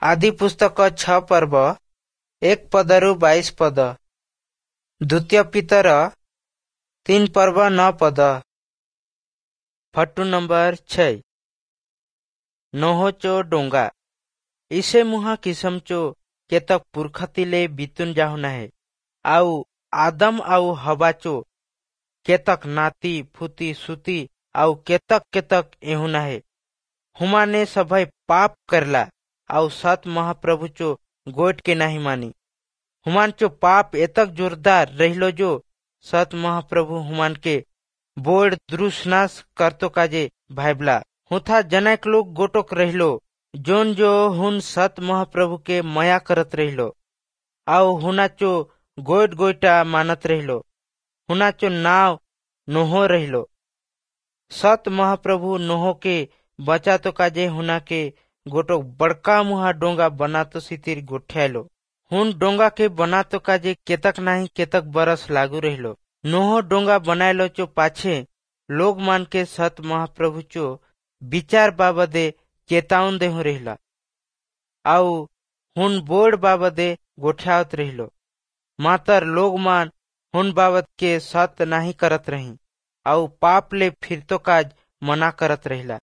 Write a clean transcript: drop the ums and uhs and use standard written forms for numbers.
ଆଦି ପୁସ୍ତକ 6 ପର୍ବ 1 ପଦରୁ 22 ପଦ। ଦ୍ୱିତୀୟ ପିତର 3 ପର୍ବ 9 ପଦ। Photo number 6, ନୋହଚୋ ଡୋଙ୍ଗା। ଇସେ ମୁହା କିସମଚୋ କେତକ ପୁର୍ଖତିଲେ ବିତୁନ ଯାହୁନାହେ ଆଉ ଆଦମ ଆଉ ହବାଚୋ କେତକ ନାତି ଫୁତି ସୁତି ଆଉ କେତକ କେତକ ଏହୁନାହେ। हुमाने सभई पाप करला आउ सत महाप्रभु चो गोट के नाही मानी। हुमान चो पाप एतक जोरदार रहिलो जो सत महाप्रभु हुमान के बोर्ड द्रुसनाश करतो काजे भाईबला। हुथा जनक लोग गोटोक रहिलो जोन जो हुन सत महाप्रभु के मया करत रहिलो आउ हुना चो गोट गोटा मानत रहिलो। हुना चो नाव नोहो रहिलो। सत महाप्रभु नोहो के बचा तो काजे हुना के गोटोक बड़का मुहा डोंगा बनातो सितिर गोठ्यालो। हुन डोंगा के बनातो काजे केतक नाही केतक बरस लागू रहिलो। नोहो डोंगा बनायलो चो पाछे लोग मान के सत महाप्रभु चो विचार बाबदे चेतावन देहु रहिला आउ हुन बोर्ड बाबदे गोठ्यावत रहिलो। मातर लोग मान हुन बाबत के सत नाही करत रही आउ पाप ले फिरतो काज मना करत रहिला।